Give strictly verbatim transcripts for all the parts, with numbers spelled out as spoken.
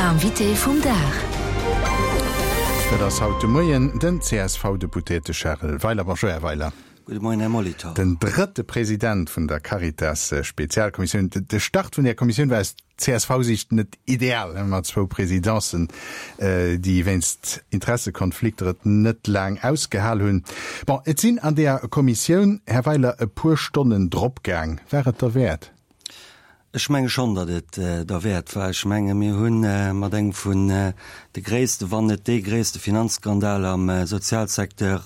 Invité vum Dag. Dat ass haut de Moien den C S V-Deputéierte Charel Weiler. Bonjour, Här Weiler. Gudde Moien, Här Molitor. Den drëtte President vun der Caritas-Spezialkommissioun. De Start vun der Kommissioun war aus C S V-Siicht net ideal, mat zwou Presidencen, déi wéinst Interessekonflikter et net laang ausgehal hunn. Bon, et sinn an der Kommissioun, Här Weiler, e puer Stonnen dropgaang. War et derwäert? Ech menge schonn, datt et derwäert war. Ech menge mir hunn mat engem vun de gréisste, wann net dee gréisste Finanzskandal am Sozialsecteur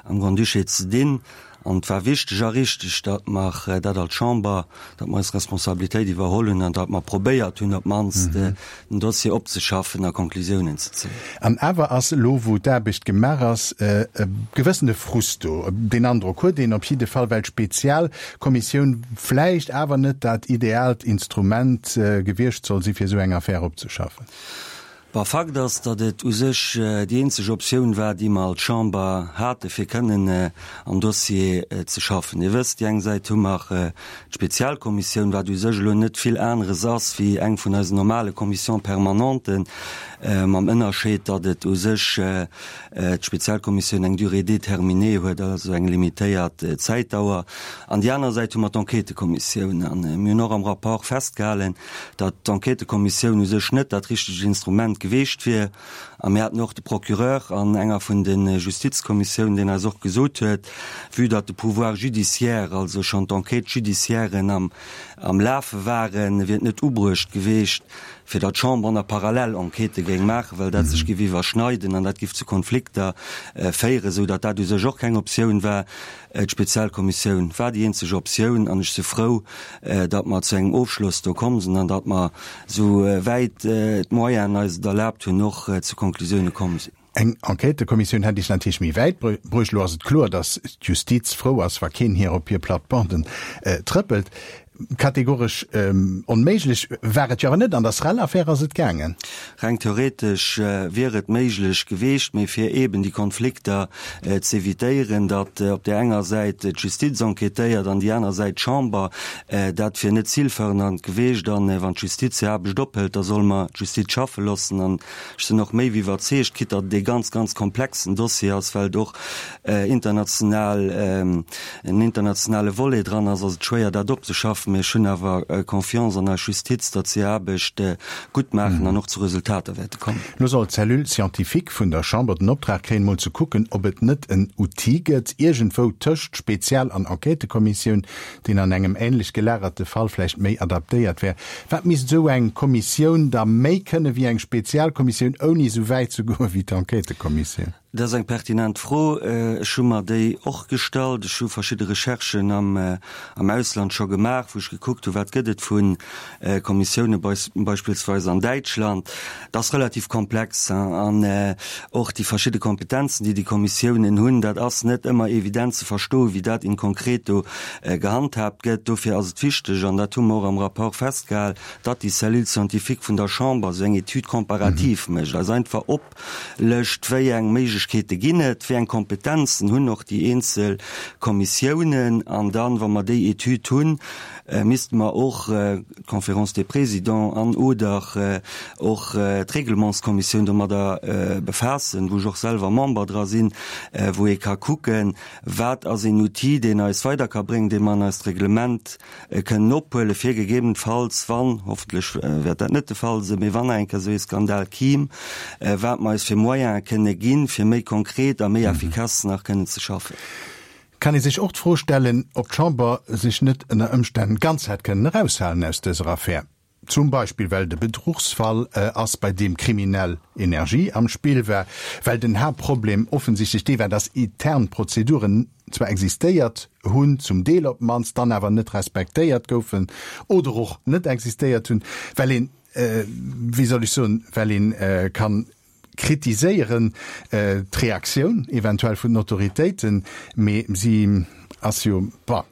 am Grand-Duché ze dinn. An et war wichteg a richteg, datt mer dat als Chamber, datt mer eis Responsabilitéit iwwerholl hunn an datt mer probéiert hunn, op d'mannst den Dossier opzeschaffen a Conclusiounen ze zéien. An awer ass elo, wou d'Aarbecht gemaach ass, e gewëssene Frust do. Deen Androck huet een op jidde Fall, well d'Spezialkommissioun vläicht awer net dat ideaalt Instrument gewiescht soll si fir esou eng Affär opzeschaffen. Bon, Fakt ass, datt et u sech déi eenzeg Optioun war, déi mer als Chamber hate fir kënnen am Dossier ze schaffen. Dir wësst, déi eng Säit hu mer d'Spezialkommissioun, wat u sech elo net vill aneres ass wéi eng vun eisen normale Commissions permanenten, mam Ënnerscheed, datt et u sech d'Spezialkommissioun eng Durée déterminée huet, also eng limitéiert Zäitdauer. An déi aner Säit hu mer d'Enquêtëkommissioun. An mir hunn och am Rapport festgehalen, datt d'Enquêtëkommissioun u sech net dat richtegt Instrument geweecht wier. A mir haten och de Procureur an enger vun de Justizkommissiounen, deen eis och gesot huet, vue datt de Pouvoir judiciaire, also schonn d'Enquêtes judiciairen am am Lafe waren, wier et net ubruecht geweecht, fir datt d'Chamber nach parallel Enquêtë géing maachen, well dat sech géif iwwerschneiden an dat géif zu Konflikter féieren, esou datt dat u sech och keng Optioun war. D'Spezialkommissioun war déi eenzeg Optioun an ech si frou, datt mer zu engem Ofschloss do komm sinn an datt mer, esou wäit d'Moyenen eis et erlaabt hunn, och zu Konklusioune komm sinn. Eng Enquêtëkommissioun hätt Iech natierlech méi wäit bruecht. Elo ass et kloer, datt d'Justiz frou ass, wa keen hir op hir Plattebanden trëppelt. Kategoresch onméiglech war et jo awer net. An der Srel-Affär ass et gaangen. Reng theoretesch wier et méiglech geweecht, mee fir eeben déi Konflikter z'evitéieren, datt op där enger Säit d'Justiz enquêtéiert an déi aner Säit d'Chamber, dat wier net zilfördernd geweecht. An wann d'Justiz hir Aarbecht ophëlt, da solle mer d'Justiz schaffe loossen. An ech sinn och méi wéi iwwerzeegt, quitte datt et ee ganz, ganz komplexen Dossier ass, well et och international, en internationale Volet dran ass, ass et schwéier dat opzeschaffen. Mee ech hunn awer Confiance an eis Justiz, datt se hir Aarbecht gutt maachen an och zu Resultater wäerte kommen. Lo soll d'Cellule scientifique vun der Chamber den Optrag kréien, mol ze kucken, ob et net en Outil gëtt, iergendwou tëscht Spezial an Enquêtëkommissioun, deen an engem änlech gelagerte Fall vläicht méi adaptéiert wär. Wat misst esou eng Kommissioun da méi kënne wéi eng Spezialkommissioun, ouni esou wäit ze goe wéi d'Enquêtëkommissioun? Dat ass eng pertinent Fro. Ech hu mer déi och gestallt. Ech hu verschidde Recherchen am am Ausland scho gemaach, wou ech gekuckt hu wat gëtt et vu Kommissioune beispillsweis an Däitschland. Dat ass relativ komplex an och déi verschidde Kompetenzen, déi déi Kommissiounen hunn, dat ass net ëmmer evident ze verstoen, wéi dat in concreto gehandhaabt gëtt. Dofir ass et wichteg, an dat hu mer och am Rapport festgehal, datt déi Cellule scientifique vun der Chamber esou eng Étude comparative mécht, eis einfach oplëscht, wéi eng Méiglechkeete ginn et, wéi eng Kompetenzen hunn och déi eenzel Kommissiounen. An dann, wa mer déi Etüd hunn, misste mer och d'Conférence des Présidents an oder och d'Reglementskommissioun domadder befaassen, wou ech och selwer Member dra sinn, wou ee ka kucken, wat ass een Outil, deen eis weider ka bréngen, dee mer an eist Reglement kënnen ophuelen, fir gegebenenfalls, wann, hoffentlech wäert dat net de Fall sinn, mee wann eng Kéier esou ee Skandal kiim, wat mer eis fir Moyene kënne ginn, fir méi konkret a méi effikass nach kënnen ze schaffen. Kann ee sech och d'Fro stellen, ob d'Chamber sech net ënner Ëmstänn ganz hätt kënnen eraushalen aus dëser Affär. Zum Beispill well et e Bedruchsfall ass, bei deem kriminell Energie am Spill war, well den Haaptproblem offensichtlech dee war, dass intern Prozeduren zwar existéiert hunn, zum Deel op d'mannst, dann awer net respektéiert goufen oder och net existéiert hunn, well een, wéi soll ech soen, well een kann kritiséieren d'Reaktioun eventuell vun den Autoritéiten, mee si ass jo, bon,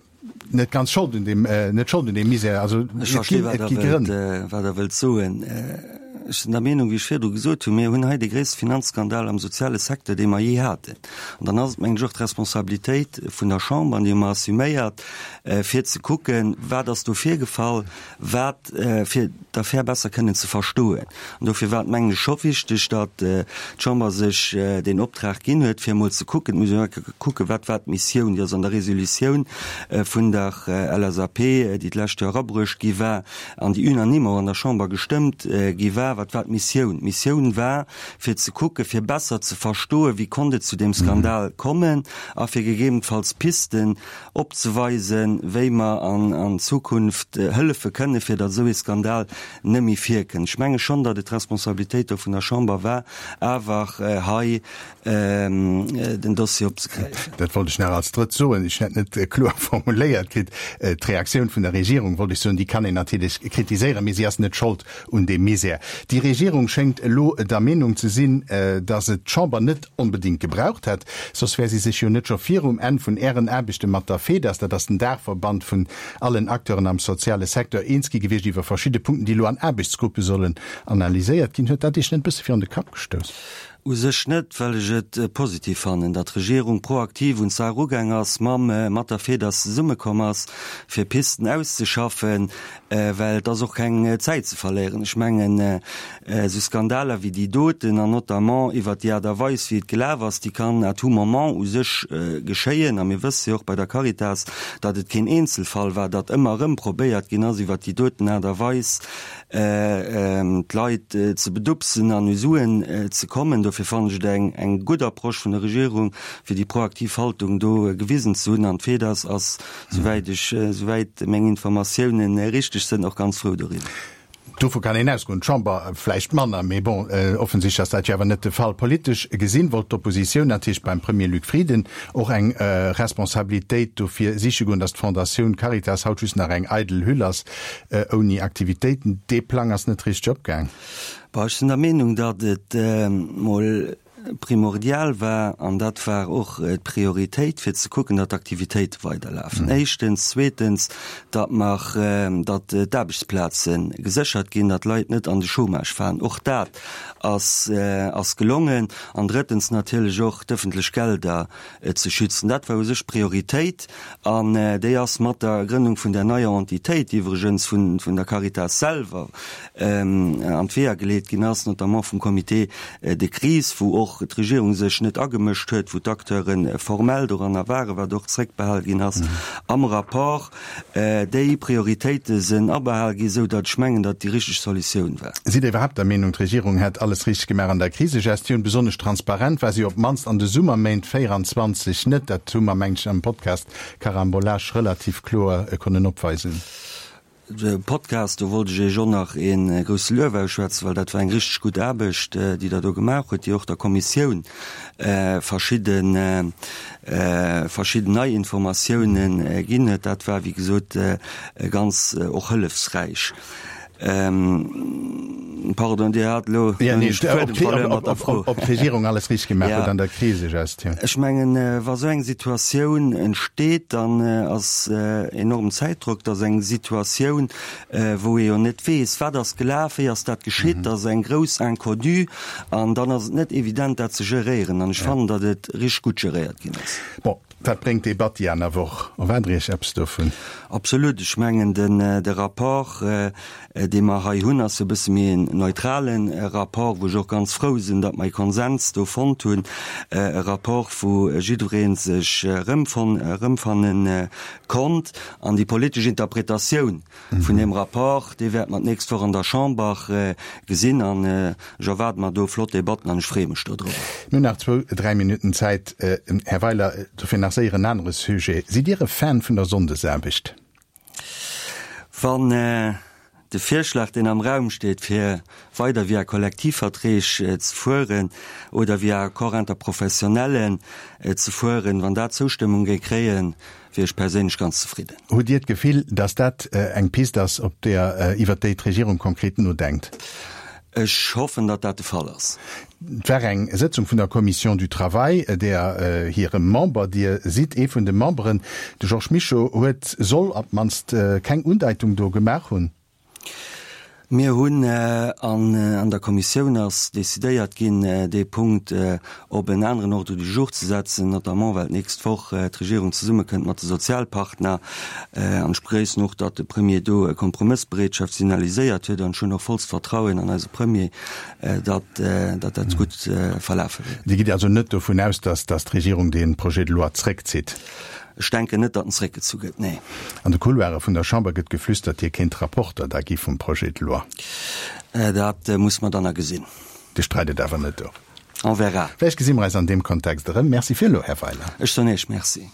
net ganz Schold un deem, net Schold un deem Misär. Also Ech versti wat Der wëllt, wat Der wëllt soen. Ech sinn der Meenung, wéi ech virdu gesot hunn, mir hunn hei de gréisste Finanzskandal am soziale Secteur, dee mer jee haten. An dann ass et, mengen ech, och d'Responsabilitéit vun der Chamber, an déi hu mer assuméiert, fir ze kucken, wat ass do virgefall, wat fir d'Affär besser kënnen ze verstoen. An dofir war et, mengen ech, scho wichteg, datt d'Chamber sech deen Optrag ginn huet, fir emol ze kucken, et muss een och eng Kéier kucken, wat war d'Missioun, déi ass an der Resolutioun vun der L S A P, déi d'lescht Joer erabruecht gi war an déi unanime och an der Chamber gestëmmt gi war. Wat war d'Missioun? D'Missioun war, fir ze kucken, fir besser ze verstoen, wéi konnt et zu deem Skandal kommen a fir gegebenenfalls Pisten opzeweisen, wéi mer an Zukunft hëllefe kënnen, fir datt esou ee Skandal net méi virkënnt. Ech menge schonn, datt et d'Responsabilitéit do vun der Chamber war, awer hei den Dossier opzegräifen. Dat wollt ech nach als Drëtt soen. Ech hätt net kloer formuléiert kritt. D'Reaktioun vun der Regierung, wollt ech soen, déi kann een natierlech kritiséieren, mee si ass net Schold un deem Misär. Déi Regierung schéngt elo der Meenung ze sinn, datt et d'Chamber net onbedéngt gebraucht hätt, soss wär si sech jo net scho virum Enn vun Ären Aarbechte mat der FEDAS, dat ass den Daachverband vun allen Acteuren am soziale Secteur, eens gi gewiescht iwwer verschidde Punkten, déi elo an Aarbechtsgruppe sollen analyséiert ginn. Huet dat Iech net e bësse virun de Kapp gestouss? U sech net, well ech et positiv fannen, datt d'Regierung proaktiv un d'Saach erugaang ass, mam mat der FEDAS zesummekomm ass, fir Pisten auszeschaffen, well et ass och keng Zäit ze verléieren. Ech mengen, esou Skandaler wéi déi doten, an notamment iwwert déi Aart a Weis, wéi et gelaf ass, déi kann à tout moment u sech geschéien. A mir wësse jo och bei der Caritas, datt et keen Eenzelfall war, datt ëmmer erëm probéiert ginn ass, iwwert déi doten Aart a Weis d'Leit ze bedupsen an u Suen ze kommen. Dofir fannen ech et eng eng gutt Approche vun der Regierung, fir déi proaktiv Haltung do gewisen ze hunn. An d'FEDAS ass, souwäit ech, souwäit meng Informatiounen richteg sënn, och ganz frou doriwwer. Dovu kann een ausgoen, d'Chamber vläicht manner, mee bon, offensichtlech ass dat jo awer net de Fall. Politesch gesinn wollt d'Oppositioun natierlech beim Premier Luc Frieden och eng Responsabilitéit dofir siche goen, datt d'Fondatioun Caritas haut just nach eng eidel Hüll ass, ouni Aktivitéiten. Dee Plang ass net richteg opgaang. Bon, ech sinn der Meenung, datt et mol primordial war, an dat war och d'Prioritéit, fir ze kucken, datt d'Aktivitéite weiderlafen, éischtens, zweetens, datt mer, datt d'Aarbechtsplaze geséchert ginn, datt d'Leit net an de Chômage falen, och dat ass, ass gelongen, an drëttens natierlech och d'ëffentlech Gelder ze schützen. Dat war u sech d'Prioritéit, an déi ass mat der Grënnung vun där neier Entitéit, déi iwwregens vun, vun der Caritas selwer an d'Weeër geleet ginn ass, notamment vum Comité de crise, wou och d'Regierung sech net agemëscht huet, wou d'Acteure formell doranner waren, wat och zréckbehal ginn ass am Rapport, déi Prioritéite sinn abehal ginn, esou datt ech mengen, datt déi richteg Solutioun war. Sidd Dir iwwerhaapt der Meenung, d'Regierung hätt alles richteg gemaach an der Krisegestioun? Besonnesch transparent war si op d'mannst an de Summerméint véieranzwanzeg net. Dat hu mer, mengen ech, am Podcast Carambolage relativ kloer konnen opweisen. De Podcast, do wollt ech Iech och nach ee grousse Luef ausschwätzen, well dat war eng richteg gutt Aarbecht, déi Der do gemaach hutt, déi och der Kommissioun verschidde verschidden nei Informatiounen ginn huet. Dat war, wéi gesot, ganz och hëllefsräich. Pardon, Dir hat elo Ob d'Regierung alles richteg gemaach huet an der Krisegestioun. Ech mengen, wa sou eng Situatioun entsteet, dann ass enorm Zäitdrock. Dat ass eng Situatioun, wou ee jo net weess, wat ass gelaf, wéi ass dat geschitt. Dat ass eng grouss Inconnue an dann ass et net evident, dat ze geréieren. An ech fannen, datt et richteg gutt geréiert ginn ass. Bon, wat bréngt d'Debatt déi aner Woch? Erwaart Der Iech eppes dovun? Absolut. Ech mengen, den, de Rapport, dee mer hei hunn, ass e bësse méi en neutrale Rapport, wou ech och ganz frou sinn, datt mer e Konsens do fonnt hunn, e Rapport, wou jiddweree sech erëmfonn, erëmfanne konnt. An déi politesch Interpretatioun vun deem Rapport, déi wäerte mer d'nächst Woch an der Chamber gesinn. An ech erwaarde mer do flott Debatten an ech freeë mech dodrop. Mir hunn nach zwou, dräi Minutten Zäit, Här Weiler, dofir nach séier en anere Sujet. Sidd Dir e Fan vun der Sonndesaarbecht? Wann de Virschlag, deen am Raum steet, fir weider via Kollektivverträg ze fueren oder via Accord interprofessionnellen ze fueren, wann dat Zoustëmmung géif kréien, wier ech perséinlech ganz zefridden. Hutt Dir d'Gefill, datt dat eng Pist ass, op där, iwwert déi d'Regierung konkret nodenkt? Ech hoffen, datt dat de Fall ass. Et war eng Sëtzung vun der Commission du Travail, där hirem Member Dir sidd, ee vun de Memberen, de Georges Mischo, huet, soll op d'mannst keng Undeitung do gemaach hunn. Mir hunn an der Kommissioun ass decidéiert ginn, dee Punkt op en aneren Ordre du jour ze setzen, notamment well d'nächst Woch d'Regierung zesummekënnt mat de Sozialpartner. An ech begréissen och, datt de Premier do e Kompromëssbereetschaft signaliséiert huet. An ech hunn och vollst Vertrauen an eise Premier, datt dat gutt verlafe wäert. Dir gitt also net dovun aus, datt d'Regierung dee Projet de loi zréckzitt? Ech denken net, datt en zréckgezu gëtt, nee. An de Couloire vun der Chamber gëtt geflüstert, Dir kéint Rapporter da gi vum Projet de loi. Dat musse mer dann nach gesinn. Dir streit et awer net of? On verra. Vläicht gesi mer eis an deem Kontext erëm. Merci fir elo, Här Weiler. Ech soen Iech Merci.